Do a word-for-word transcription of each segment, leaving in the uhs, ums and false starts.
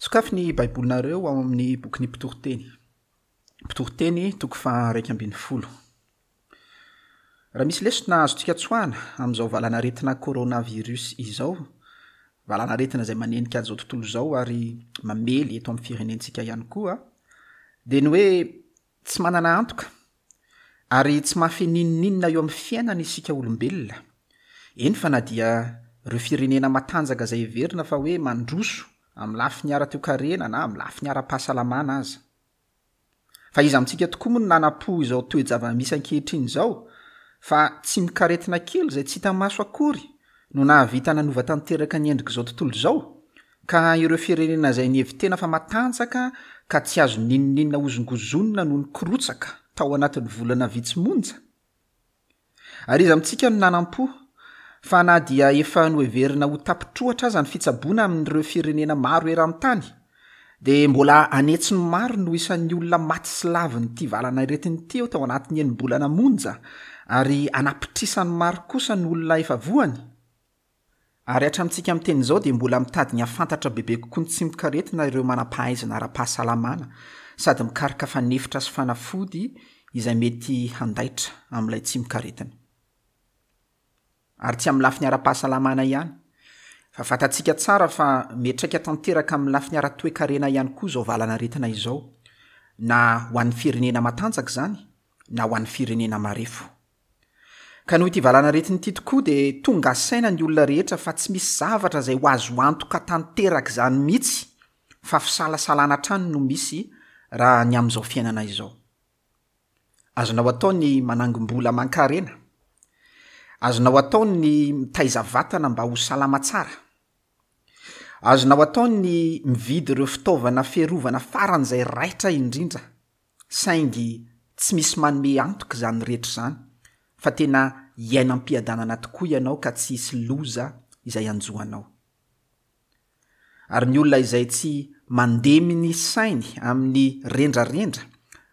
Sokafy ny Baibolinareo ao amin'ny bokin'ny Mpitoriteny. Mpitoriteny toko faha-iraika ambin'ny folo. Raha misy lesona azontsika tsoahana amin'izao valanaretina coronavirus izao, valanaretina izay manenika an'izao tontolo izao ary mamely eto amin'ny firenentsika ihany koa, dia ny hoe tsy manana antoka ary tsy mahafehy n'inon'inona eo amin'ny fiainana isika olombelona. Eny fa na dia ireo firenena matanjaka izay heverina fa hoe mandroso amin'ny lafiny ara-toekarena na amin'ny lafiny ara-pahasalamana aza. Fa iza amintsika tokoa moa no nanam-po izao toe-java-misy ankehitriny izao fa tsy mikaretina kely izay tsy hita maso akory no nahavita nanova tanteraka ny endrik'izao tontolo izao, ka ireo firenena izay nihevi-tena fa matanjaka ka tsy azo n'inon'inona hozongozonina no nikorotsaka tao anatin'ny volana vitsy monja. Ary iza amintsika no nanam-po fa na dia efa noheverina ho tapitroatra aza ny fitsaboana amin'ireo firenena maro eran-tany, dia mbola anetsiny maro no isan'ny olona maty sy lavin'ity valanaretina ity tao anatin'ny enim-bolana monja, ary anapitrisany maro kosa ny olona efa voany. Ary hatramintsika miteny izao dia mbola mitady ny hahafantatra bebe kokoa ny tsimokaretina ireo manam-pahaizana ara-pahasalamana sady mikaroka fanefitra sy fanafody izay mety handaitra amin'ilay tsimokaretina. Ary tsy amin'ny lafiny ara-pahasalamana ihany, fa fantatsika tsara fa miantraika tanteraka amin'ny lafiny ara-toekarena ihany koa izao valanaretina izao, na ho an'ny firenena matanjaka izany, na ho an'ny firenena marefo. Ka noho ity valanaretina ity tokoa dia tonga saina ny olona rehetra fa tsy misy zavatra izay ho azo antoka tanteraka izany mihitsy, fa fisalasalana hatrany no misy raha ny amin'izao fiainana izao. Azonao atao ny manangom-bola aman-karena, azonao atao ny mitaiza vatana mba ho salama tsara, azonao atao ny mividy ireo fitaovana fiarovana faran'izay raitra indrindra, saingy tsy misy manome antoka izany rehetra izany, fa tena hiaina am-piadanana tokoa ianao ka tsy hisy loza izay hanjo anao. Ary ny olona izay tsy mandemy ny sainy amin'ny rendrarendra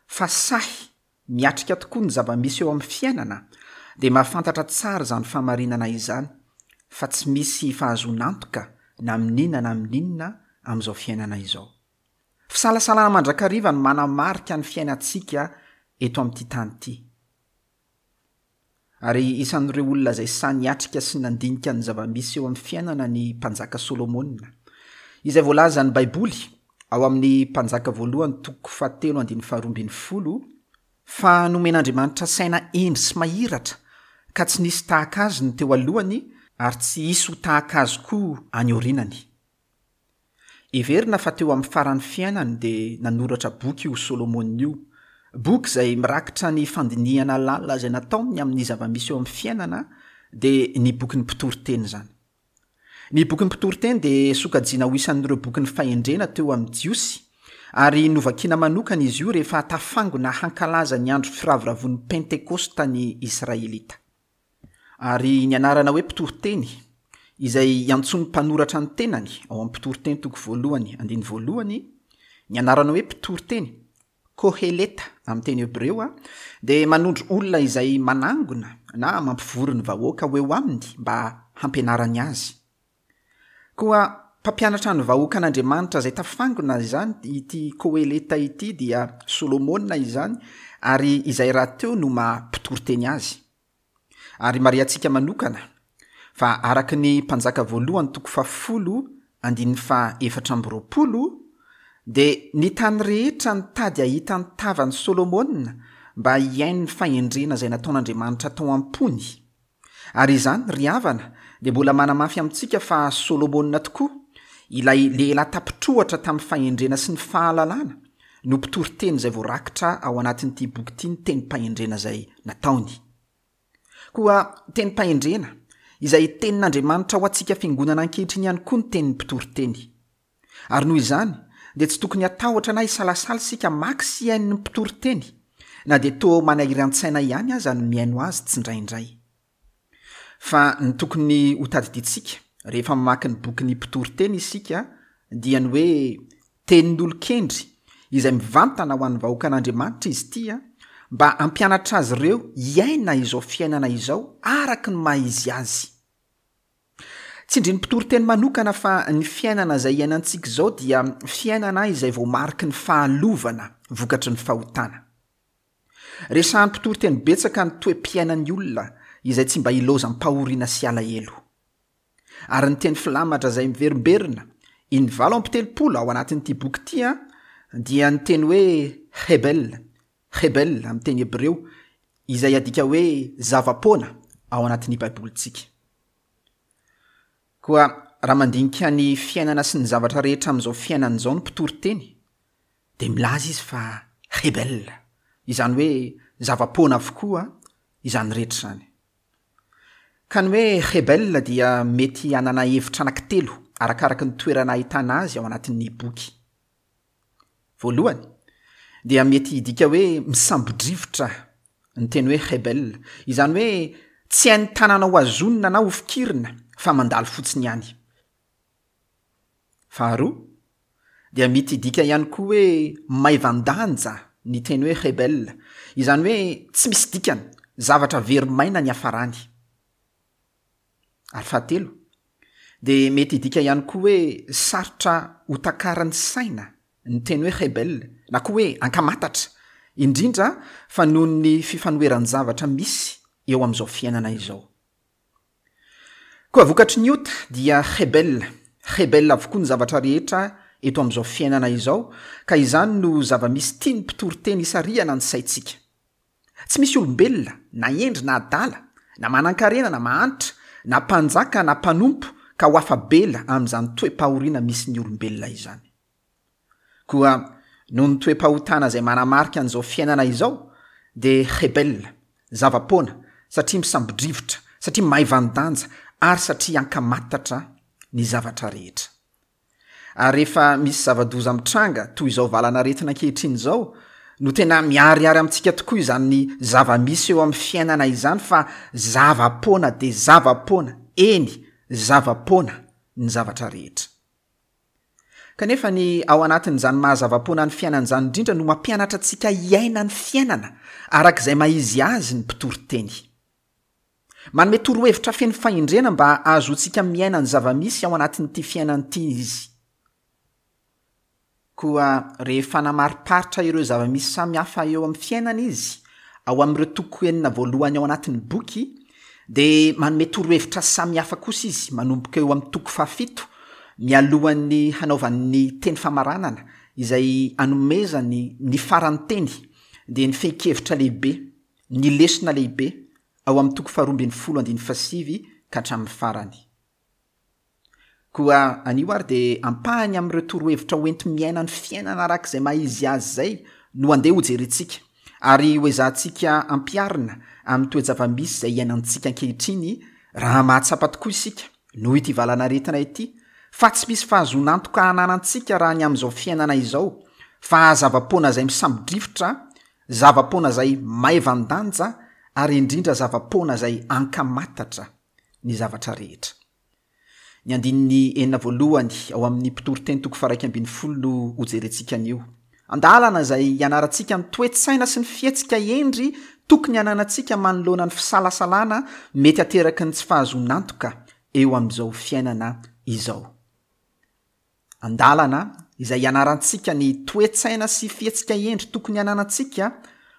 fa sahy miatrika tokoa ny zava-misy eo amin'ny fiainana dia mahafantatra tsara izany fahamarinana izany fa tsy misy fahazoana antoka na amin'inona na amin'inona amin'izao fiainana izao. Fisalasalana mandrakariva no manamarika ny fiainantsika eto amin'ity tany ity. Ary isan'ireo olona izay sahy niatrika sy nandinika ny zava-misy eo amin'ny fiainana ny mpanjaka Solomona, izay voalazan'ny Baiboly ao amin'ny mpanjaka voalohany toko fahatelo andininy faharoa ambin'ny folo fa nomen'Andriamanitra saina hendry sy mahiratra ka tsy nisy tahaka azy ny teo alohany ary tsy hisy ho tahaka azy koa any aorianany. Heverina fa teo amin'ny faran'ny fiainany dia nanoratra boky io Solomona io, boky izay mirakitra ny fandinihana lalina izay nataony amin'ny zava-misy eo amin'ny fiainana, dia ny bokin'ny Mpitoriteny izany. Ny bokin'ny Mpitoriteny dia sokajiana ho isan'ireo bokin'ny fahendrena teo amin'ny Jiosy, ary novakiana manokana izy io rehefa tafangona hankalaza ny andro firavoravoan'ny Pentekosta ny Israelita. Ary ny anarana hoe Mpitoriteny, izay iantsoan'ny mpanoratra ny tenany ao amin'ny Mpitoriteny toko voalohany andininy voalohany, ny anarana hoe Mpitoriteny, Koheleta amin'ny teny hebreo, dia manondro olona izay manangona na mampivory ny vahoaka ho eo aminy mba hampianarany azy. Koa mpampianatra ny vahoakan'Andriamanitra izay tafangona izany ity Koheleta ity dia Solomona izany, ary izay rahateo no maha mpitoriteny azy. Ary marihantsika manokana fa araka ny mpanjaka voalohany toko fahafolo andininy faha efatra amby roapolo dia ny tany rehetra nitady hahita ny tavan'i Solomona mba hihaino ny fahendrena izay nataon'Andriamanitra tao am-pony. Ary izany, ry havana, dia mbola manamafy amintsika fa Solomona tokoa, ilay lehilahy tapitroatra tamin'ny fahendrena sy ny fahalalana, no mpitoriteny izay voarakitra ao anatin'ity boky ity ny tenim-pahendrena izay nataony. Koa tenim-pahendrena izay tenin'Andriamanitra ho antsika fiangonana ankehitriny ihany koa ny tenin'ny mpitoriteny. Ary noho izany dia tsy tokony hatahotra na hisalasala isika maka sy hihaino ny mpitoriteny, na dia toa manahiran-tsaina ihany aza ny mihaino azy tsindraindray. Fa ny tokony ho tadidintsika rehefa mamaky ny bokin'ny mpitoriteny isika dia ny hoe tenin'olon-kendry izay mivantana ho an'ny vahoakan'Andriamanitra izy ity mba hampianatra azy ireo hiaina izao fiainana izao araka ny maha izy azy. Tsindrin'ny mpitoriteny manokana fa ny fiainana izay iainantsika izao dia fiainana izay voamariky ny fahalovana vokatry ny fahotana. Resahan'ny mpitoriteny betsaka ny toe-piainan'ny olona izay tsy mba ilaozam-pahoriana sy alahelo. Ary ny teny filamatra izay miverimberina iny valo amby telopolo ao anatin'ity boky ity a dia ny teny hoe hebel, hebel amin'ny teny hebreo, izay adika hoe zava-poana ao anatin'ny Baibolintsika. Koa raha mandinika ny fiainana sy ny zavatra rehetra amin'izao fiainana izao ny mpitoriteny, dia milaza izy fa hebel, izany hoe zava-poana avokoa izany rehetra izany. Ka ny hoe hebel dia mety hanana hevitra anankitelo arakaraky ny toerana ahitana azy ao anatin'ny boky. Voalohany, dia mety hidika hoe misambo-drivotra ny teny hoe hebel, izany hoe tsy hain'ny tanana ho hazonina na ho fikirina fa mandalo fotsiny ihany. Faharoa, dia mety hidika ihany koa hoe maivan-danja ny teny hoe hebel, izany hoe tsy misy dikany, zavatra very maina ny hafarany. Ary fahatelo, dia mety hidika ihany koa hoe sarotra ho takaran'ny saina ny teny hoe hebel, na koa hoe ankamatatra, indrindra fa noho ny fifanoheran-javatra misy eo amin'izao fiainana izao. Koa vokatry ny ota dia hebel, hebel avokoa ny zavatra rehetra eto amin'izao fiainana izao, ka izany no zava-misy tian'ny mpitoriteny isarihana ny saintsika. Tsy misy olombelona, na hendry na adala, na manan-karena na mahantra, na mpanjaka na mpanompo ka ho afa-bela amin'izany toe-pahoriana misy ny olombelona izany. Koa noho ny toe-pahotana izay manamarika an'izao fiainana izao, dia hebel, zava-poana, satria misambo-drivotra, satria maivan-danja, ary satria ankamatatra ny zavatra rehetra. Ary rehefa misy zava-doza mitranga toy izao valanaretina ankehitriny izao, no tena miharihary amintsika tokoa izany zava-misy eo amin'ny fiainana izany fa zava-poana dia zava-poana, eny, zava-poana ny zavatra rehetra. Kanefa ny ao anatin'izany maha-zava-poana ny fiainana izany indrindra no mampianatra antsika hiaina ny fiainana arak'izay maha-izy azy ny mpitoriteny. Manome torohevitra feno fahendrena mba hahazoantsika miaina ny zava-misy ao anatin'ity fiainana ity izy. Koa rehefa namariparitra ireo zava-misy samihafa eo amin'ny fiainana izy, ao amin'ireo toko enina voalohany ao anatin'ny boky, dia manome torohevitra samihafa kosa izy manomboka eo amin'ny toko fahafito, mialohan'ny hanaovany teny famaranana izay anomezany ny faran'ny teny, dia ny fehin-kevitra lehibe, ny lesona lehibe, ao amin'ny toko faharoa ambin'ny folo andininy fahasivy ka hatramin'ny farany. Koa anio ary dia ampahany amin'ireo torohevitra hoenti-miaina ny fiainana arak'izay maha-izy azy izay no andeha hojerentsika, ary hoezahantsika ampiharina amin'ny toe-java-misy izay iainantsika ankehitriny raha mahatsapa tokoa isika noho ity valanaretina ity, fa tsy misy fahazoan'antoka hananantsika raha ny amin'izao fiainana izao, fa zava-poana izay misambo-drivotra, zava-poana izay maivan-danja, ary indrindra zava-poana izay ankamatatra ny zavatra rehetra. Ny andininy enina voalohany ao amin'ny mpitoriteny toko faha-iraika ambin'ny folo no hojerentsika anio. Andalana izay hianarantsika ny toe-tsaina sy ny fihetsika hendry tokony hananantsika manoloana ny fisalasalana mety ateraky ny tsy fahazoan'antoka eo amin'izao fiainana izao. Andalana izay hianarantsika ny toe-tsaina sy fihetsika hendry tokony hananantsika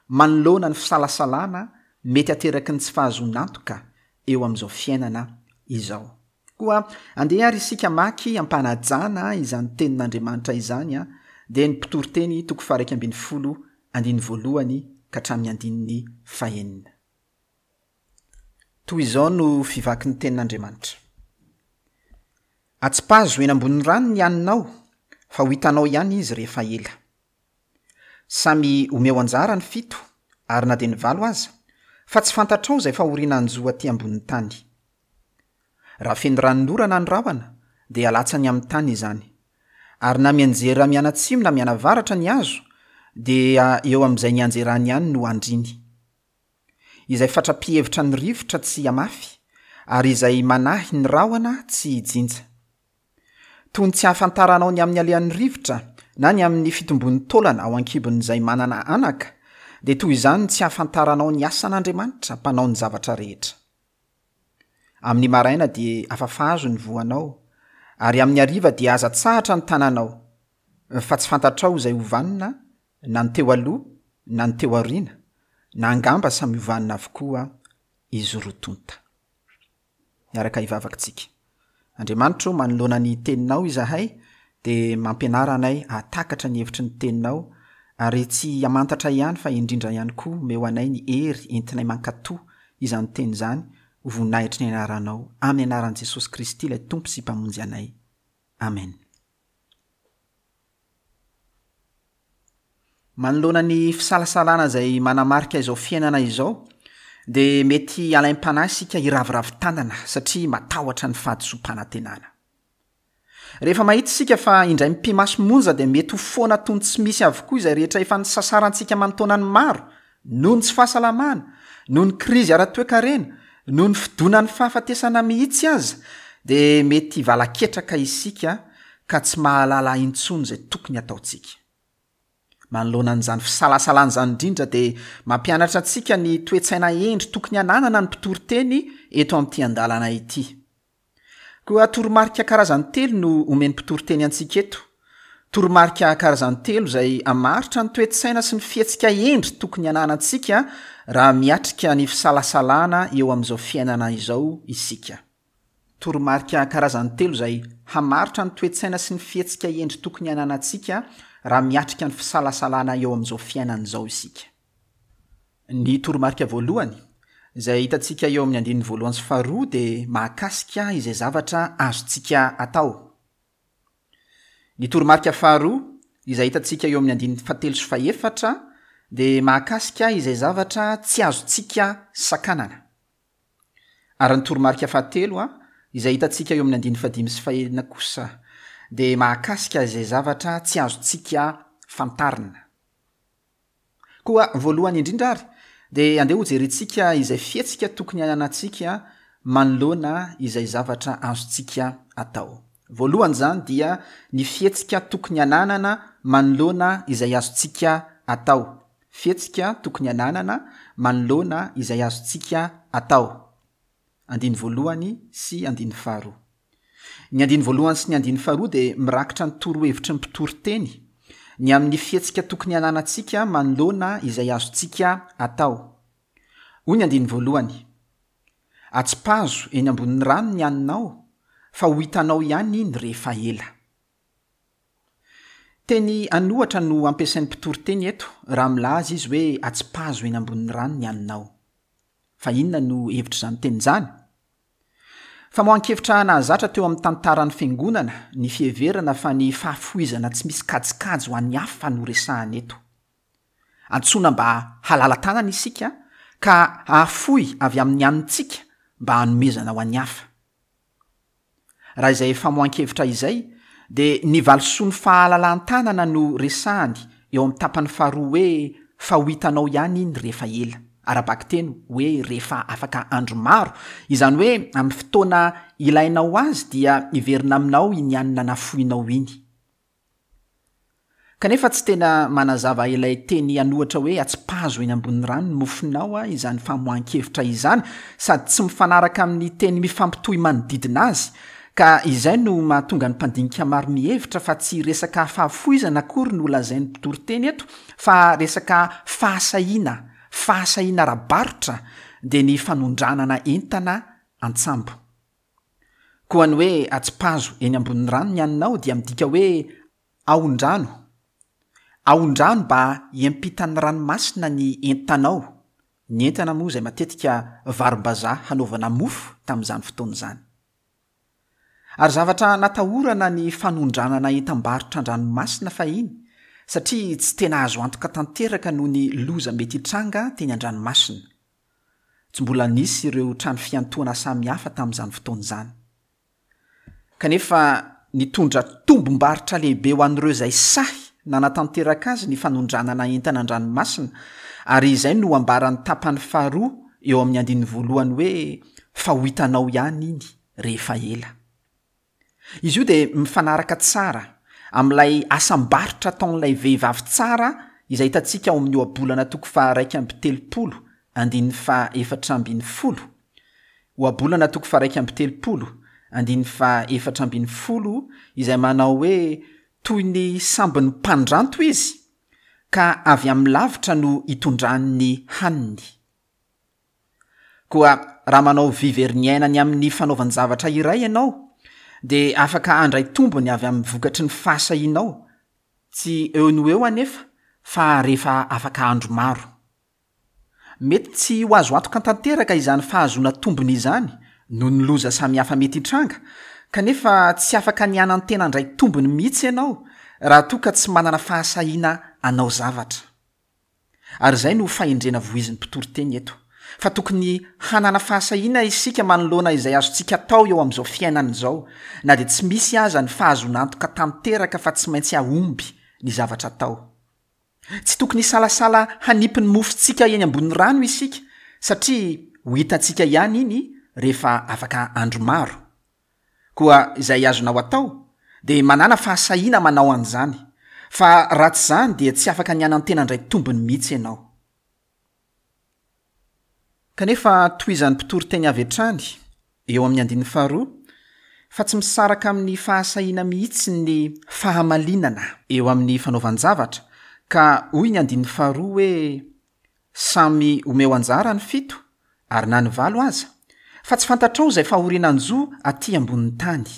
manoloana ny fisalasalana mety ateraky ny tsy fahazoan'antoka eo amin'izao fiainana izao. Koa andeha ary isika maky ampanajana izany tenin'Andriamanitra izany, dia ny mpitoriteny toko faha-iraika ambin'ny folo andininy voalohany ka hatramin'ny andininy fahenina. Toy izao no fivaky ny tenin'Andriamanitra. Atsipazo eny ambonin'ny rano ny haninao, fa ho hitanao ihany izy rehefa ela. Samy omeo anjara ny fito, ary na dia ny valo aza, fa tsy fantatrao izay fahoriana hanjo aty ambonin'ny tany. Raha feno ranonorana ny rahona, dia alatsany amin'ny tany izany. Ary na mianjera mianatsimo na mianavaratra ny hazo, dia eo amin'izay nianjerany ihany no andriny. Izay fatra-pihevitra ny rivotra tsy hamafy, ary izay manahy ny rahona tsy hijinja. Toy ny tsy ahafantaranao ny amin'ny alehan'ny rivotra na ny amin'ny fitombon'ny taolana ao an-kibon'izay manana anaka, dia toy izany ny tsy ahafantaranao ny asan'Andriamanitra mpanao ny zavatra rehetra. Amin'ny maraina dia afafazo ny voanao, ary amin'ny hariva dia aza atsahatra ny tananao, fa tsy fantatrao izay ho vanona na ny teo aloha na ny teo aoriana, na angamba samy ho vanona avokoa izy roa tonta. Miaraka hivavaka tsika. Andriamanitro, manoloana ny teninao izahay, dia mampianara anay hahatakatra ny hevitry ny teninao, ary tsy hamantatra ihany fa indrindra ihany koa omeo anay ny hery entinay mankatò izany teny izany ho voninahitry ny anaranao, amin'ny anaran'i Jesosy Kristy ilay Tompo sy Mpamonjy anay. Amen. Manoloana ny fisalasalana izay manamarika izao fiainana izao, dia mety alaim-panahy isika hiraviravy tanana satria matahotra ny fahadisoam-panantenana. Rehefa mahita isika fa indray mipi-maso monja dia mety ho foana toy ny tsy misy avokoa izay rehetra efa nisasarantsika aman-taonany maro, noho ny tsy fahasalamana, noho ny krizy ara-toekarena, noho ny fidonan'ny fahafatesana mihitsy aza, dia mety hivalaketraka isika ka tsy mahalala intsony izay tokony hataontsika. Manoloana an'izany fisalasalana izany indrindra dia mampianatra antsika ny toe-tsaina hendry tokony hananana ny mpitoriteny eto amin'ity andalana ity. Koa toromarika karazany telo no omen'ny mpitoriteny antsika eto. Toromarika karazany telo izay hamaritra ny toe-tsaina sy ny fihetsika hendry tokony hananantsika raha miatrika ny fisalasalana eo amin'izao fiainana izao isika. Toromarika karazany telo izay hamaritra ny toe-tsaina sy ny fihetsika hendry tokony hananantsika raha miatrika ny fisalasalana eo amin'izao fiainana izao isika. Ny toromarika voalohany, izay hitantsika eo amin'ny andininy voalohany sy faharoa, dia mahakasika izay zavatra azontsika atao. Ny toromarika faharoa, izay hitantsika eo amin'ny andininy fahatelo sy fahefatra, dia mahakasika izay zavatra tsy azontsika sakanana. Ary ny toromarika fahatelo, izay hitantsika eo amin'ny andininy fahadimy sy fahenina kosa, dia mahakasika izay zavatra tsy azontsika fantarina. Koa voalohany indrindra ary, dia andeha hojerentsika izay fihetsika tokony hananantsika manoloana izay zavatra azontsika atao. Voalohany izany dia ny fihetsika tokony hananana manoloana izay azontsika atao. Fihetsika tokony hananana manoloana izay azontsika atao. Andiny voalohany sy andiny faharoa. Ny andiny voalohany sy ny andiny faharoa dia mirakitra ny torohevitry ny mpitoriteny ny amin'ny fihetsika tokony hananantsika manoloana izay azontsika atao. Hoy ny andiny voalohany: atsipazo eny ambonin'ny rano ny haninao, fa ho hitanao ihany iny rehefa ela. Teny an'ohatra no ampiasain'ny mpitoriteny eto raha milaza izy hoe atsipazo eny ambonin'ny rano ny haninao. Fa inona no hevitr'izany teny izany? Famoahan-kevitra nahazatra teo amin'ny tantaran'ny fiangonana ny fiheverana fa ny fahafoizana tsy misy kajikajy ho an'ny hafa no resahana eto. Antsoina mba halala-tanana isika ka hahafoy avy amin'ny hanintsika mba hanomezana ho an'ny hafa. Raha izay famoahan-kevitra izay, dia ny valisoan'ny fahalalan-tanana no resahany eo amin'ny tapany faharoa hoe fa ho hitanao ihany iny rehefa ela. Ara-bakiteny hoe rehefa afaka andro maro, izany hoe amin'ny fotoana ilainao azy dia hiverina aminao iny hanina nafoinao iny. Kanefa tsy tena manazava ilay teny an'ohatra hoe atsipazo eny ambonin'ny rano ny mofonao izany famoahan-kevitra izany, sady tsy mifanaraka amin'ny teny mifampitohy manodidina azy, ka izay no mahatonga ny mpandinika maro mihevitra fa tsy resaka fahafoizana akory no lazain'ny mpitoriteny eto, fa resaka fahasahiana, fahasahiana ara-barotra, dia ny fanondranana entana an-tsambo. Koa ny hoe atsipazo eny ambonin'ny rano ny haninao dia midika hoe aondrano. Aondrano mba hiampitan'ny ranomasina ny entanao. Ny entana moa izay matetika varim-bazaha hanaovana mofo tamin'izany fotoana izany. Ary zavatra natahorana ny fanondranana entam-barotra an-dranomasina fahiny, satria tsy tena azo antoka tanteraka noho ny loza mety hitranga teny an-dranomasina. Tsy mbola nisy ireo trano fiantohana samihafa tamin'izany fotoana izany. Kanefa nitondra tombom-barotra lehibe ho an'ireo izay sahy nanatanteraka azy ny fanondranana entana an-dranomasina, ary izay no ambaran'ny tapany faharoa eo amin'ny andininy voalohany hoe fa ho hitanao ihany iny rehefa ela. Izy io dia mifanaraka tsara amin'ilay asam-barotra ataon'ilay vehivavy tsara izay hitantsika ao amin'ny ohabolana toko faha iraika amby telopolo andininy faha efatra ambin'ny folo. Ohabolana toko faha-iraika amby telopolo, andininy faha-efatra ambin'ny folo izay manao hoe toy ny sambon'ny mpandranto izy, ka avy amin'ny lavitra no hitondrany ny haniny. Koa raha manao vy very ny aina ny amin'ny fanaovan-javatra iray ianao, dia afaka handray tombony avy amin'ny vokatry ny fahasahianao, tsy eo no eo anefa, fa rehefa afaka andro maro. Mety tsy ho azo antoka tanteraka izany fahazoana tombony izany noho ny loza samihafa mety hitranga, kanefa tsy afaka ny hanantena handray tombony mihitsy ianao raha toa ka tsy manana fahasahiana hanao zavatra. Ary izay no fahendrena voizin'ny mpitoriteny eto, fa tokony hanana fahasahiana isika manoloana izay azontsika atao eo amin'izao fiainana izao, na dia tsy misy aza ny fahazoana antoka tanteraka fa tsy maintsy hahomby ny zavatra atao. Tsy tokony hisalasala hanipy ny mofontsika eny ambony rano isika, satria ho hitantsika ihany iny rehefa afaka andro maro. Koa izay azonao atao dia manana fahasahiana manao an'izany, fa raha tsy izany dia tsy afaka ny hanantena handray tombony mihitsy ianao. Kanefa tohizan'ny mpitoriteny avy hatrany eo amin'ny andininy faharoa fa tsy misaraka amin'ny fahasahiana mihitsy ny fahamalinana eo amin'ny fanaovan-javatra, ka hoy ny andininy faharoa hoe samy omeo anjara ny fito ary na ny valo aza, fa tsy fantatrao izay fahoriana hanjo aty ambonin'ny tany.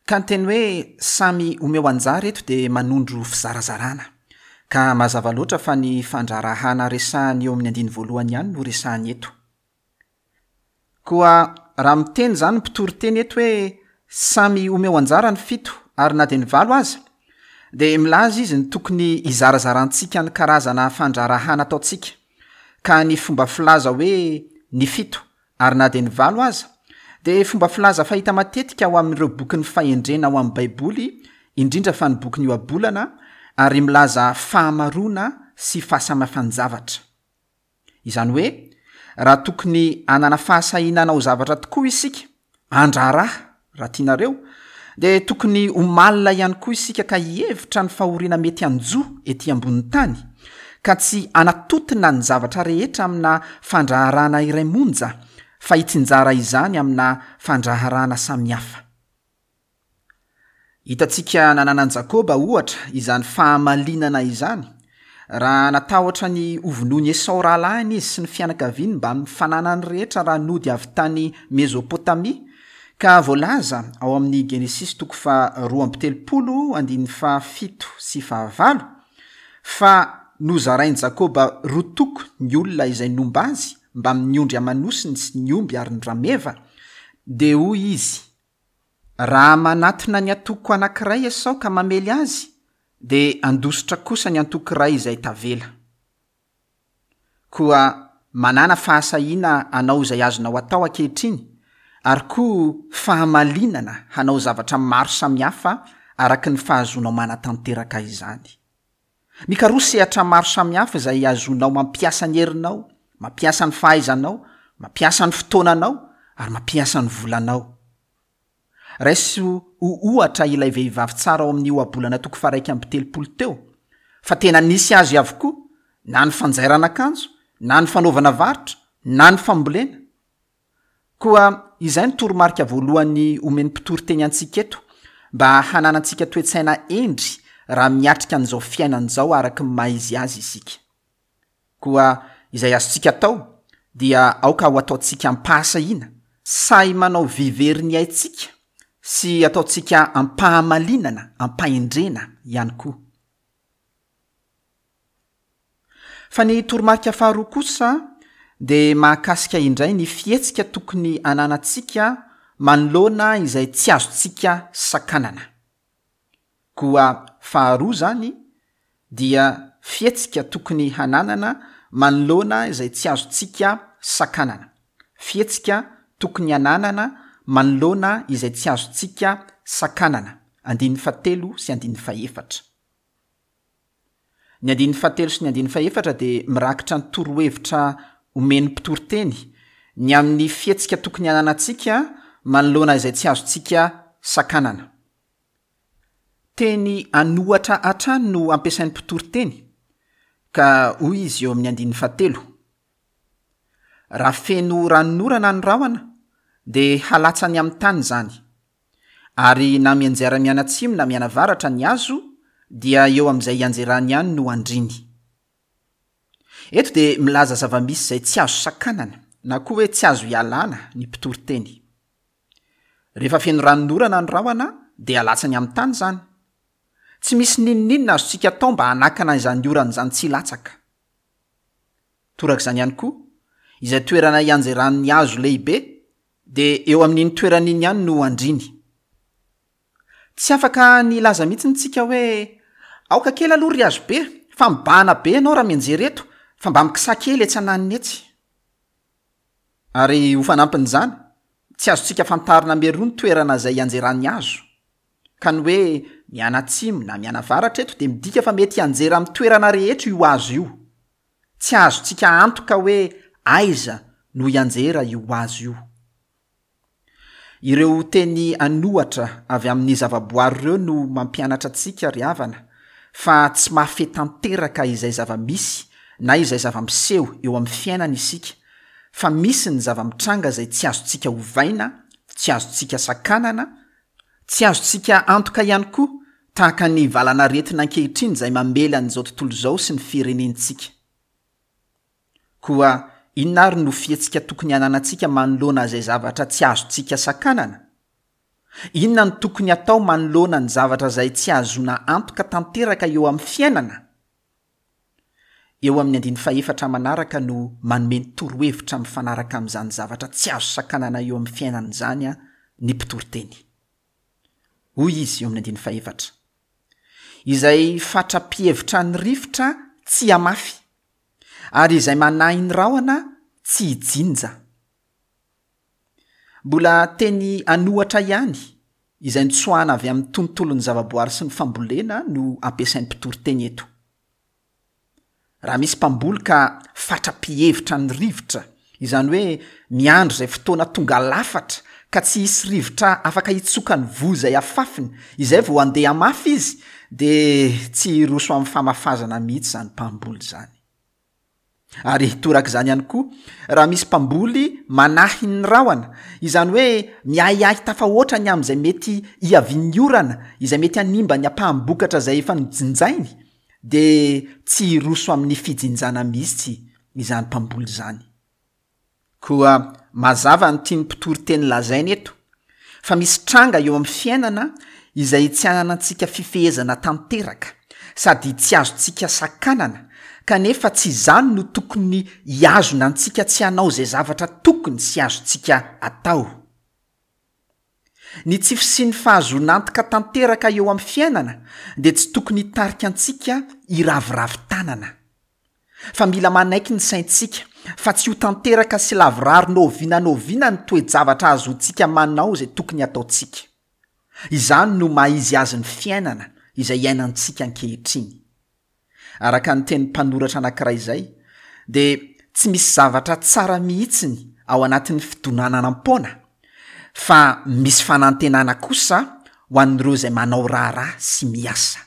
Ka ny teny hoe samy omeo anjara eto dia manondro fizarazarana, ka mazava loatra fa ny fandraharahana resahany eo amin'ny andininy voalohany ihany no resahany eto. Koa raha miteny izany ny mpitoriteny eto hoe samy omeo anjara ny fito ary na dia ny valo aza, dia milaza izy ny tokony hizarazarantsika ny karazana fandraharahana ataontsika, ka ny fomba filaza hoe ny fito ary na dia ny valo aza dia fomba filaza fahita matetika ao amin'ireo bokin'ny fahendrena ao amin'ny Baiboly, indrindra fa ny bokin'ny Ohabolana, ary milaza fahamaroana sy fahasamihafan-javatra. Izany hoe, raha tokony hanana fahasahiana hanao zavatra tokoa isika, handraharaha raha tianareo, dia tokony ho malina ihany koa isika ka hihevitra ny fahoriana mety hanjo ety ambonin'ny tany, ka tsy hanatontona ny zavatra rehetra amina fandraharahana iray monja, fa hitsinjara izany amina fandraharahana samihafa. Hitantsika nananan'i Jakoba ohatra izany fahamalinana izany, raha natahotra ny hovonoin'i Esao rahalahiny izy sy ny fianakaviany mbamin'ny fananany rehetra raha nody avy tany Mezopotamia, ka voalaza ao amin'ny Genesisy toko faharoa amby telopolo andininy fahafito sy fahavalo fa nozarain'i Jakoba roa toko ny olona izay nomba azy mbamin'ny ondry aman'osiny sy ny omby ary ny rameva, dia hoy izy: raha manatona ny antoko anankiray Esao ka mamely azy, dia handositra kosa ny antoko iray izay tavela. Koa manana fahasahiana hanao izay azonao atao ankehitriny, ary koa fahamalinana hanao zavatra maro samihafa araka ny fahazoanao manatanteraka izany. Mikaroha sehatra maro samihafa izay azonao mampiasa ny herinao, mampiasa ny fahaizanao, mampiasa ny fotoananao, ary mampiasa ny volanao. Raiso ho ohatra ilay vehivavy tsara ao amin'ny Ohabolana toko faha-iraika amby telopolo teo, fa tena nisy azy avokoa, na ny fanjairana akanjo, na ny fanaovana varotra, na ny fambolena. Koa izay no toromarika voalohany omen'ny mpitoriteny antsika eto, mba hananantsika toe-tsaina hendry raha miatrika an'izao fiainana izao araka ny maha izy azy isika. Koa izay azontsika atao dia aoka ho ataontsika am-pahasahiana, sahy manao vy very ny aintsika sy ataontsika am-pahamalinana, am-pahendrena ihany koa. Fa ny toromarika faharoa kosa dia mahakasika indray ny fihetsika tokony hananantsika manoloana izay tsy azontsika sakanana. Koa faharoa zany dia fihetsika tokony hananana manoloana izay tsy azontsika sakanana. Fihetsika tokony hananana manoloana izay tsy azontsika sakanana. Andininy fahatelo sy andininy fahefatra. Ny andininy fahatelo sy ny andininy fahefatra dia mirakitra ny torohevitra omen'ny mpitoriteny ny amin'ny fihetsika tokony hananantsika manoloana izay tsy azontsika sakanana. Teny an'ohatra hatrany no ampiasain'ny mpitoriteny, ka hoy izy eo amin'ny andininy fahatelo: Raha feno ranonorana ny rahona, dia halatsany amin'ny tany izany. Ary na mianjera mianatsimo na mianavaratra ny hazo, dia eo amin'izay ianjerany ihany no andriny. Eto dia milaza zava-misy izay tsy azo sakanana, na koa hoe tsy azo ialana ny mpitoriteny. Rehefa feno ranonorana ny rahona, dia alatsany amin'ny tany izany. Tsy misy n'inon'inona azontsika atao mba hanakana izany orana izany tsy hilatsaka. Torak'izany ihany koa, izay toerana ianjeran'ny hazo lehibe, dia eo amin'iny toerana iny ihany no andriny. Tsy afaka ny hilaza mihitsy isika hoe aoka kely aloha ry hazo be, fa mibahana be ianao raha mianjera eto, fa mba mikisaha kely etsy ananiny etsy. Ary ho fanampin'izany, tsy azontsika fantarina mialoha ny toerana izay ianjeran'ny hazo. Ka ny hoe mianatsimo na mianavaratra eto dia midika fa mety hianjera amin'ny toerana rehetra io hazo io. Tsy azontsika antoka hoe aiza no hianjera io hazo io. Ireo teny an'ohatra avy amin'ny zavaboary ireo no mampianatra antsika ry havana fa tsy mahafehy tanteraka izay zava-misy na izay zava-miseho eo amin'ny fiainana isika, fa misy ny zava-mitranga izay tsy azontsika ovaina, tsy azontsika sakanana, tsy azontsika antoka ihany koa, tahaka ny valanaretina ankehitriny izay mamely an'izao tontolo izao sy ny firenentsika. Koa inona ary no fihetsika tokony hananantsika manoloana izay zavatra tsy azontsika sakanana? Inona no tokony atao manoloana ny zavatra izay tsy ahazoana antoka tanteraka eo amin'ny fiainana? Eo amin'ny andininy fahefatra manaraka no manome ny torohevitra mifanaraka amin'izany zavatra tsy azo sakanana eo amin'ny fiainana izany ny mpitoriteny. Hoy izy eo amin'ny andininy fahefatra: izay fatra-pihevitra ny rivotra tsy hamafy, ary izay manahy ny rahona tsy hijinja. Mbola teny an'ohatra ihany izay nitsoahana avy amin'ny tontolon'ny zavaboary sy ny fambolena no ampiasain'ny mpitoriteny eto. Raha misy mpamboly ka fatra-pihevitra ny rivotra, izany hoe miandry izay fotoana tonga lafatra ka tsy hisy rivotra afaka hitsoka ny voa izay afafiny, izay vao handeha hamafy izy, dia tsy hiroso amin'ny famafazana mihitsy izany mpamboly izany. Ary torak'izany ihany koa, raha misy mpamboly manahy ny rahona, izany hoe miahiahy tafahoatra ny amin'izay mety hiavian'ny orana, izay mety hanimba ny ampaham-bokatra izay efa nojinjainy, dia tsy hiroso amin'ny fijinjana mihitsy izany mpamboly izany. Koa mazava ny tian'ny mpitoriteny lazaina eto, fa misy tranga eo amin'ny fiainana izay tsy ananantsika fifehezana tanteraka, sady tsy azontsika sakanana, kanefa tsy izany no tokony hihazona antsika tsy hanao izay zavatra tokony sy azontsika atao. Ny tsy fisian'ny fahazoana antoka tanteraka eo amin'ny fiainana dia tsy tokony hitarika antsika hiraviravy tanana, fa mila manaiky ny saintsika fa tsy ho tanteraka sy lavorary n'oviana n'oviana ny toe-javatra azontsika manao izay tokony hataontsika. Izany no maha izy azy ny fiainana izay iainantsika ankehitriny. Araka ny tenin'ny mpanoratra anankiray izay, dia tsy misy zavatra tsara mihitsiny ao anatin'ny fidonananam-poana, fa misy fanantenana kosa ho an'ireo izay manao raharaha sy miasa.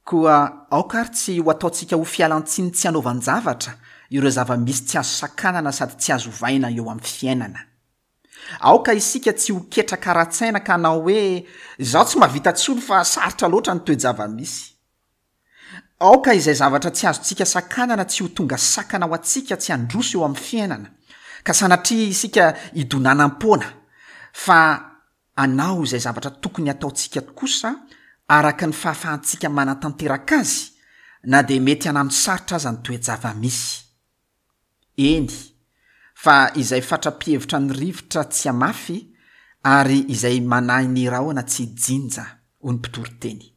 Koa aoka ary tsy ho ataontsika ho fialantsiny tsy hanaovan-javatra ireo zava-misy tsy azo sakanana sady tsy azo ovaina eo amin'ny fiainana. Aoka isika tsy ho ketraka ara-tsaina ka hanao hoe izaho tsy mahavita intsony fa sarotra loatra ny toe-java-misy. Aoka izay zavatra tsy azontsika sakanana tsy ho tonga sakana ho antsika tsy handroso eo amin'ny fiainana, ka sanatria isika hidonanam-poana, fa hanao izay zavatra tokony hataontsika kosa araka ny fahafahantsika manatanteraka azy, na dia mety hanano sarotra aza ny toe-java-misy. Eny, fa izay fatra-pihevitra ny rivotra tsy hamafy, ary izay manahy ny rahona tsy hijinja, hoy ny mpitoriteny.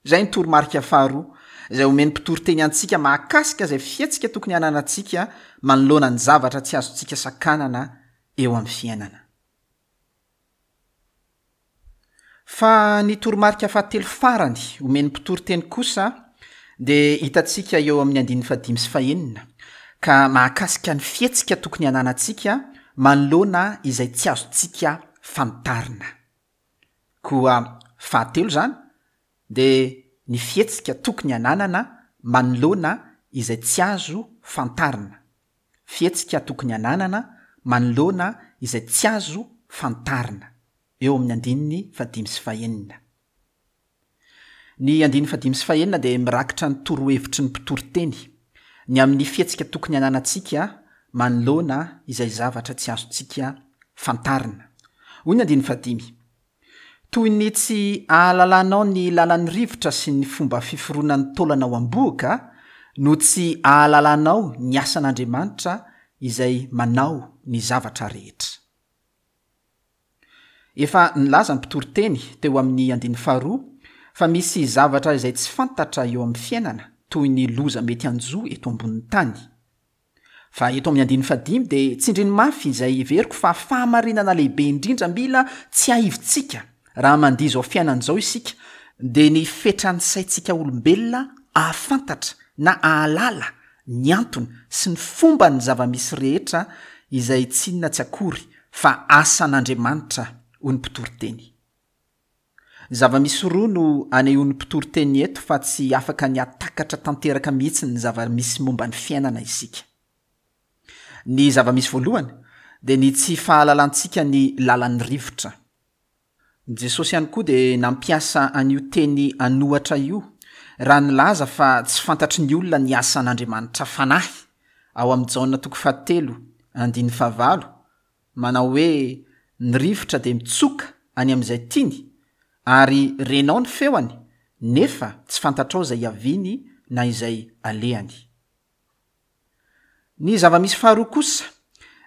Izay ny toromarika faharoa izay omen'ny mpitoriteny antsika mahakasika izay fihetsika tokony hananantsika manoloana ny zavatra tsy azontsika sakanana eo amin'ny fiainana. Fa ny toromarika fahatelo farany omen'ny mpitoriteny kosa dia hitantsika eo amin'ny andininy fahadimy sy fahenina, ka mahakasika ny fihetsika tokony hananantsika manoloana izay tsy azontsika fantarina. Koa fahatelo izany dia ny fihetsika tokony hananana manoloana izay tsy azo fantarina. Fihetsika tokony hananana manoloana izay tsy azo fantarina, eo amin'ny andininy fahadimy sy fahenina. Ny andininy fahadimy sy fahenina dia mirakitra ny torohevitry ny mpitoriteny ny amin'ny fihetsika tokony hananantsika manoloana izay zavatra tsy azontsika fantarina. Hoy ny andininy fahadimy: Toy ny tsy ahalalanao ny lalan'ny rivotra sy ny fomba fiforonan'ny taolana ao am-bohoka no tsy ahalalanao ny asan'Andriamanitra izay manao ny zavatra rehetra. Efa nilaza ny mpitoriteny teo amin'ny andininy faharoa fa misy zavatra izay tsy fantatra eo amin'ny fiainana toy ny loza mety hanjo eto ambonin'ny tany. Fa eto amin'ny andininy fahadimy dia tsindriny mafy izay heveriko fa fahamarinana lehibe indrindra mila tsiahivintsika raha mandia izao fiainana izao isika, dia ny fetran'ny saintsika olombelona ahafantatra na ahalala ny antony sy ny fomban'ny zava-misy rehetra izay tsy inona tsy akory fa asan'Andriamanitra, hoy ny mpitoriteny. Zava-misy roa no anehoan'ny mpitoriteny eto fa tsy afaka ny hahatakatra tanteraka mihitsy ny zava-misy momba ny fiainana isika. Ny zava-misy voalohany dia ny tsy fahalalantsika ny lalan'ny rivotra. Jesosy ihany koa dia nampiasa an'io teny an'ohatra io raha nilaza fa tsy fantatry ny olona ny asan'Andriamanitra Fanahy, ao amin'ny Jaona toko fahatelo andininy fahavalo, manao hoe ny rivotra dia mitsoka any amin'izay tiany ary renao ny feoany nefa tsy fantatrao izay iaviany na izay alehany. Ny zava-misy faharoa kosa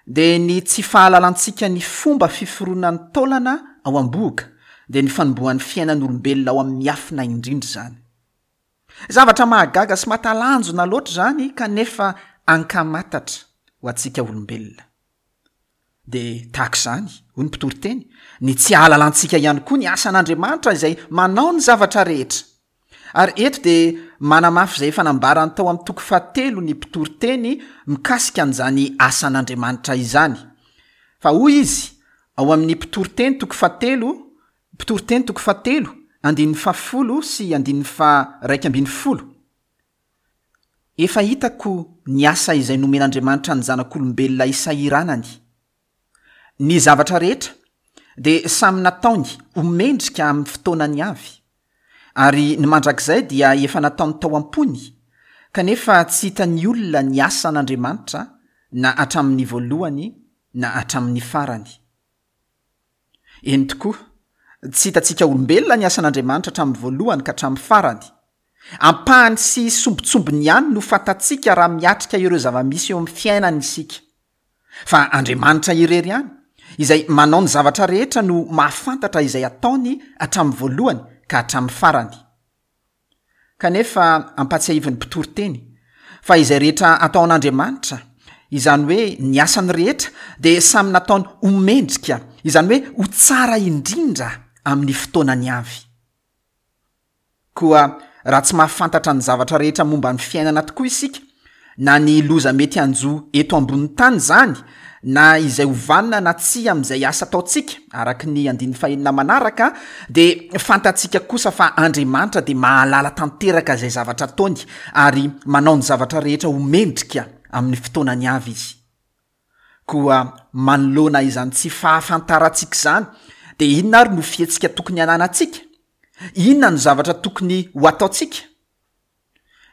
dia ny tsy fahalalantsika ny fomba fiforonan'ny taolana ao am-bohoka, dia ny fanombohan'ny fiainan'olombelona ao amin'ny miafina indrindra izany. Zavatra mahagaga sy mahatalanjona loatra izany kanefa ankamatatra ho antsika olombelona. Dia tahaka izany, hoy ny mpitoriteny, ny tsy ahalalantsika ihany koa ny asan'Andriamanitra izay manao ny zavatra rehetra. Ary eto dia manamafy izay efa nambarany tao amin'ny toko fahatelo ny mpitoriteny mikasika an'izany asan'Andriamanitra izany. Fa hoy izy ao amin'ny mpitoriteny toko fahatelo, mpitoriteny toko fahatelo, andininy fahafolo sy andininy faharaika ambin'ny folo. Efa hitako ny asa izay nomen'Andriamanitra ny zanak'olombelona isahiranany. Ny zavatra rehetra dia samy nataony ho mendrika amin'ny fotoanany avy, ary ny mandrakizay dia efa nataony tao am-pony, kanefa tsy hitan'ny olona ny asan'Andriamanitra na hatramin'ny voalohany na hatramin'ny farany. Eny tokoa, tsy hitantsika olombelona ny asan'Andriamanitra hatramin'ny voalohany ka hatramin'ny farany. Ampahany sy sombintsombiny ihany no fantatsika raha miatrika ireo zava-misy eo amin'ny fiainana isika. Fa Andriamanitra irery ihany, izay manao ny zavatra rehetra no mahafantatra izay ataony hatramin'ny voalohany ka hatramin'ny farany. Kanefa ampahatsiahivin'ny mpitoriteny fa izay rehetra ataon'Andriamanitra, izany hoe ny asany rehetra, dia samy nataony ho mendrika, izany hoe ho tsara indrindra amin'ny fotoanany avy. Koa raha tsy mahafantatra ny zavatra rehetra momba ny fiainana tokoa isika, na ny loza mety hanjo eto ambonin'ny tany izany, na izay ho vanona na tsia amin'izay asa ataontsika, araka ny andininy fahenina manaraka, dia fantatsika kosa fa Andriamanitra dia mahalala tanteraka izay zavatra ataony ary manao ny zavatra rehetra ho mendrika amin'ny fotoanany avy Izy. Koa manoloana izany tsy fahafantarantsika izany, dia inona ary no fihetsika tokony hananantsika? Inona no zavatra tokony ho ataontsika?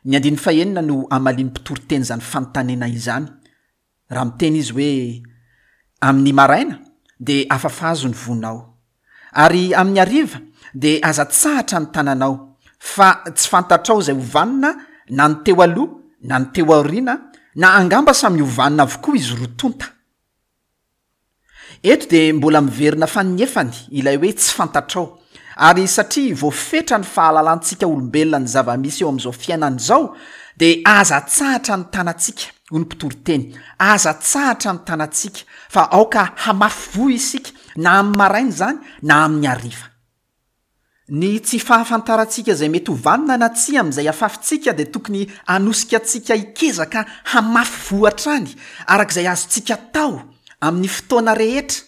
Ny andininy fahenina no hamalian'ny mpitoriteny izany fanontaniana izany, raha miteny izy hoe: amin'ny maraina dia afafazo ny vonao, ary amin'ny hariva dia aza tsahatra ny tananao, fa tsy fantatrao izay ho vanona na ny teo aloha na ny teo aoriana, na angamba samy ho vanona avokoa izy roa tonta. Eto dia mbola miverina faninefany ilay hoe tsy fantatrao, ary satria voafetra ny fahalalantsika olombelona ny zava-misy eo amin'izao fiainana izao, dia aza atsahatra ny tanantsika, hoy ny mpitoriteny, aza atsahatra ny tanantsika, fa aoka hamafy voa isika na amin'ny maraina izany na amin'ny hariva. Ny tsy fahafantarantsika izay mety ho vanona na tsia amin'izay afafintsika dia tokony hanosika antsika hikezaka hamafy voa hatrany araka izay azontsika atao amin'ny fotoana rehetra.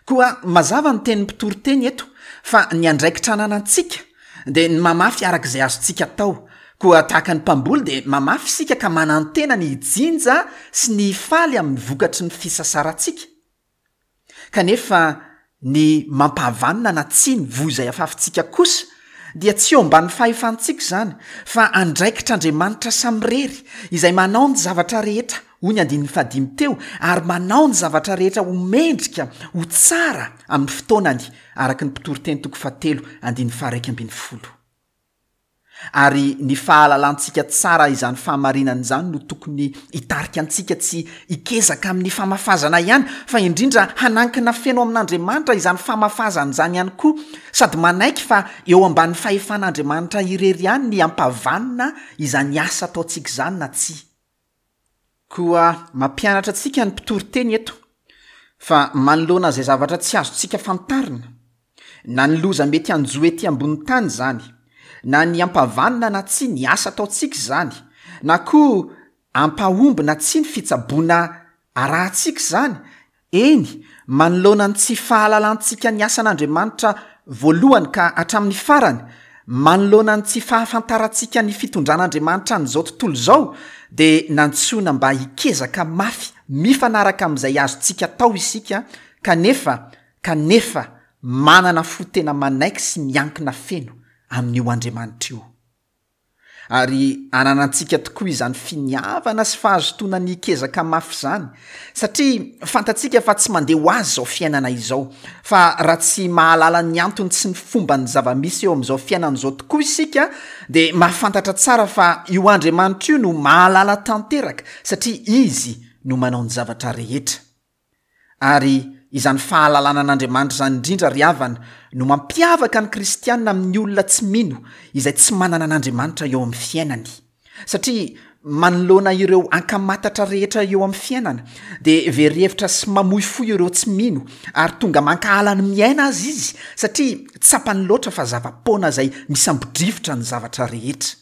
Koa mazava ny tenin'ny mpitoriteny eto fa ny andraikitra ananantsika dia ny mamafy araka izay azontsika atao. Koa tahaka ny mpamboly dia mamafy isika ka manantena ny hijinja sy ny hifaly amin'ny vokatry ny fisasarantsika. Kanefa ny mampahavanona na tsia ny voa izay afafintsika kosa dia tsy eo ambanin'ny fahefantsika izany fa andraikitr'Andriamanitra samirery izay manao ny zavatra rehetra, hoy ny andininy fahadimy teo, ary manao ny zavatra rehetra ho mendrika, ho tsara amin'ny fotoanany, araka ny Mpitoriteny toko fahatelo andininy faharaika ambin'ny folo. Ary ny fahalalantsika tsara izany fahamarinana izany no tokony hitarika antsika tsy hikezaka amin'ny famafazana ihany, fa indrindra hanankina feno amin'Andriamanitra izany famafazana izany ihany koa, sady manaiky fa eo ambanin'ny fahefan'Andriamanitra irery ihany ny hampavanona izany asa ataontsika izany na tsia. Koa mampianatra antsika ny mpitoriteny eto fa manoloana izay zavatra tsy azontsika fantarina, na ny loza mety hanjo ety ambony tany izany, na ny hampavanona na tsia ny asa ataontsika izany, na koa hampahomby na tsia ny fitsaboana arahantsika izany, eny, manoloana ny tsy fahalalantsika ny asan'Andriamanitra voalohany ka hatramin'ny farany, manoloana ny tsy fahafantarantsika ny fitondran'Andriamanitra an'izao tontolo izao, dia nantsoina mba hikezaka mafy mifanaraka amin'izay azontsika atao isika, kanefa, kanefa manana fo tena manaiky sy miankina feno amin'io Andriamanitra io. Ary ananantsika tokoa izany finiavana sy fahazotoana ny hikezaka mafy izany, satria fantatsika fa tsy mandeha ho azy izao fiainana izao, fa raha tsy mahalala ny antony sy ny fomban'ny zava-misy eo amin'izao fiainana izao tokoa isika, dia mahafantatra tsara fa io Andriamanitra io no mahalala tanteraka, satria Izy no manao ny zavatra rehetra. Ary izany fahalalana an'Andriamanitra izany indrindra ry havana no mampiavaka ny kristiana amin'ny olona tsy mino izay tsy manana an'Andriamanitra eo amin'ny fiainany. Satria manoloana ireo ankamatatra rehetra eo amin'ny fiainana dia very hevitra sy mamoy fo ireo tsy mino ary tonga mankahala ny miaina aza izy satria tsapany loatra fa zava-poana izay misambo-drivotra ny zavatra rehetra.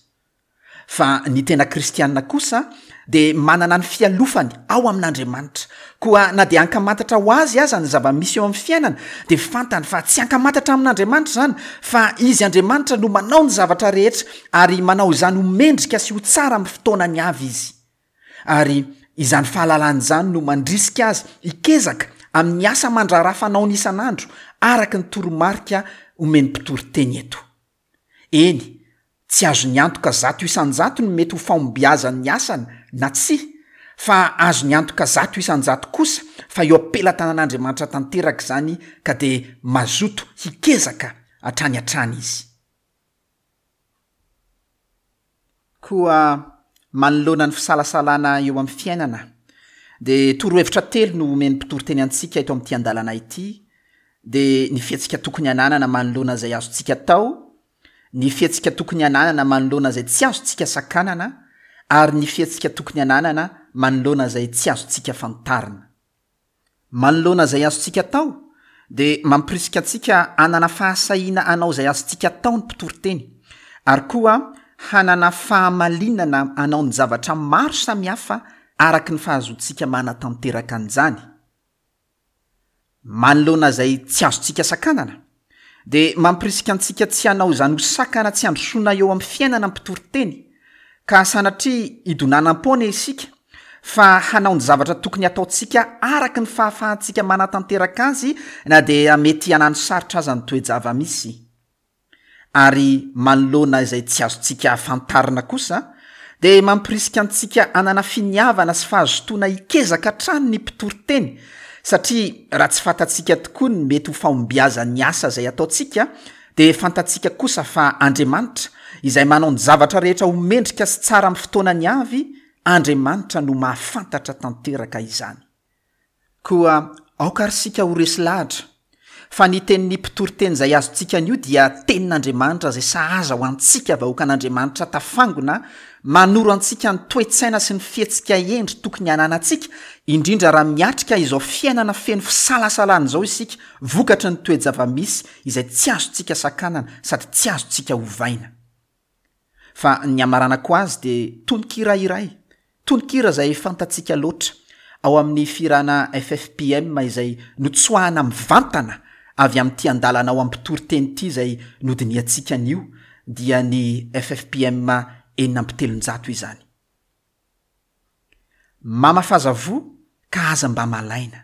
Fa ny tena kristiana kosa dia manana ny fialofany ao amin'Andriamanitra. Koa na dia ankamantatra ho azy aza ny zava-misy eo amin'ny fiainana, dia fantany fa tsy ankamantatra amin'Andriamanitra izany, fa Izy Andriamanitra no manao ny zavatra rehetra ary manao izany ho mendrika sy ho tsara amin'ny fotoanany avy Izy. Ary izany fahalalana izany no mandrisika azy hikezaka amin'ny asa aman-draharaha fanaony isan'andro, araka ny toromarika omen'ny mpitoriteny eto. Eny, tsy azony antoka zato isan-jato ny mety ho fahombiazan'ny asany na tsia, fa azony antoka zato isan-jato kosa fa eo am-pelatanan'Andriamanitra tanteraka izany ka dia mazoto hikezaka hatrany hatrany izy. Koa manoloana ny fisalasalana eo amin'ny fiainana, dia torohevitra telo no omen'ny mpitoriteny antsika eto amin'ity andalana ity, dia ny fihetsika tokony hananana manoloana izay azontsika atao, ny fihetsika tokony hananana manoloana izay tsy azontsika sakanana, ary ny fihetsika tokony hananana manoloana izay tsy azontsika fantarina. Manoloana izay azontsika atao, dia mampirisika antsika hanana fahasahiana hanao izay azontsika atao ny mpitoriteny, ary koa hanana fahamalinana hanao ny zavatra maro samihafa araka ny fahazoantsika manatanteraka an'izany. Manoloana izay tsy azontsika sakanana, dia mampirisika antsika tsy hanao izany ho sakana tsy handrosoana eo amin'ny fiainana ny mpitoriteny, ka sanatria hidonanam-poana isika, fa hanao ny zavatra tokony hataontsika araka ny fahafahantsika manatanteraka azy na dia mety hanano sarotra aza ny toe-java-misy. Ary manoloana izay tsy azontsika fantarina kosa, dia mampirisika antsika hanana finiavana sy fahazotoana hikezaka hatrany ny mpitoriteny, satria raha tsy fantatsika tokoa ny mety ho fahombiazan'ny asa izay ataontsika, dia fantatsika kosa fa Andriamanitra, izay manao ny zavatra rehetra ho mendrika sy tsara amin'ny fotoanany avy, Andriamanitra no mahafantatra tanteraka izany. Koa aoka ary isika ho resy lahatra fa ny tenin'ny mpitoriteny izay azontsika anio dia tenin'Andriamanitra izay sahaza ho antsika vahoakan'Andriamanitra tafangona, manoro antsika ny toe-tsaina sy ny fihetsika hendry tokony hananantsika, indrindra raha miatrika izao fiainana feno fisalasalana izao isika vokatry ny toe-java-misy izay tsy azontsika sakanana sady tsy azontsika ovaina. Fa ny hamaranako azy dia tononkira iray, tononkira izay fantatsika loatra, ao amin'ny fihirana F F P M izay notsoahana mivantana avy amin'ity andalana ao amin'ny mpitoriteny ity izay nodinihantsika anio, dia ny F F P M enina amby telonjato izany. Mamafaza voa ka aza mba malaina.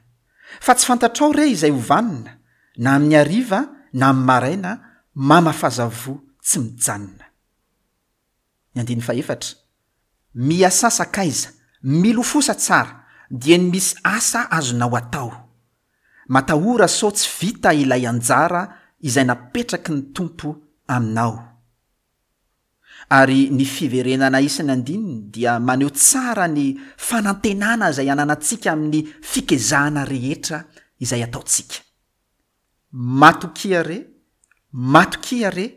Fa tsy fantatrao re izay ho vanona, na amin'ny hariva na amin'ny maraina, mamafaza voa tsy mijanona. Ny andininy fahefatra, Miasà sakaiza, milofosa tsara, dieny misy asa azonao atao. Matahora sao tsy vita ilay anjara izay napetraky ny Tompo aminao. Ary ny fiverenana isan'ny andininy dia maneho tsara ny fanantenana izay ananantsika amin'ny fikezahana rehetra izay ataontsika. Matokia re, matokia re,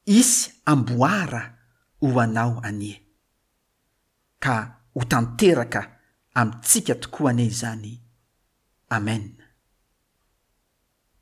hisy amboara ho anao anie. Ka ho tanteraka amintsika tokoa anie izany. Amen.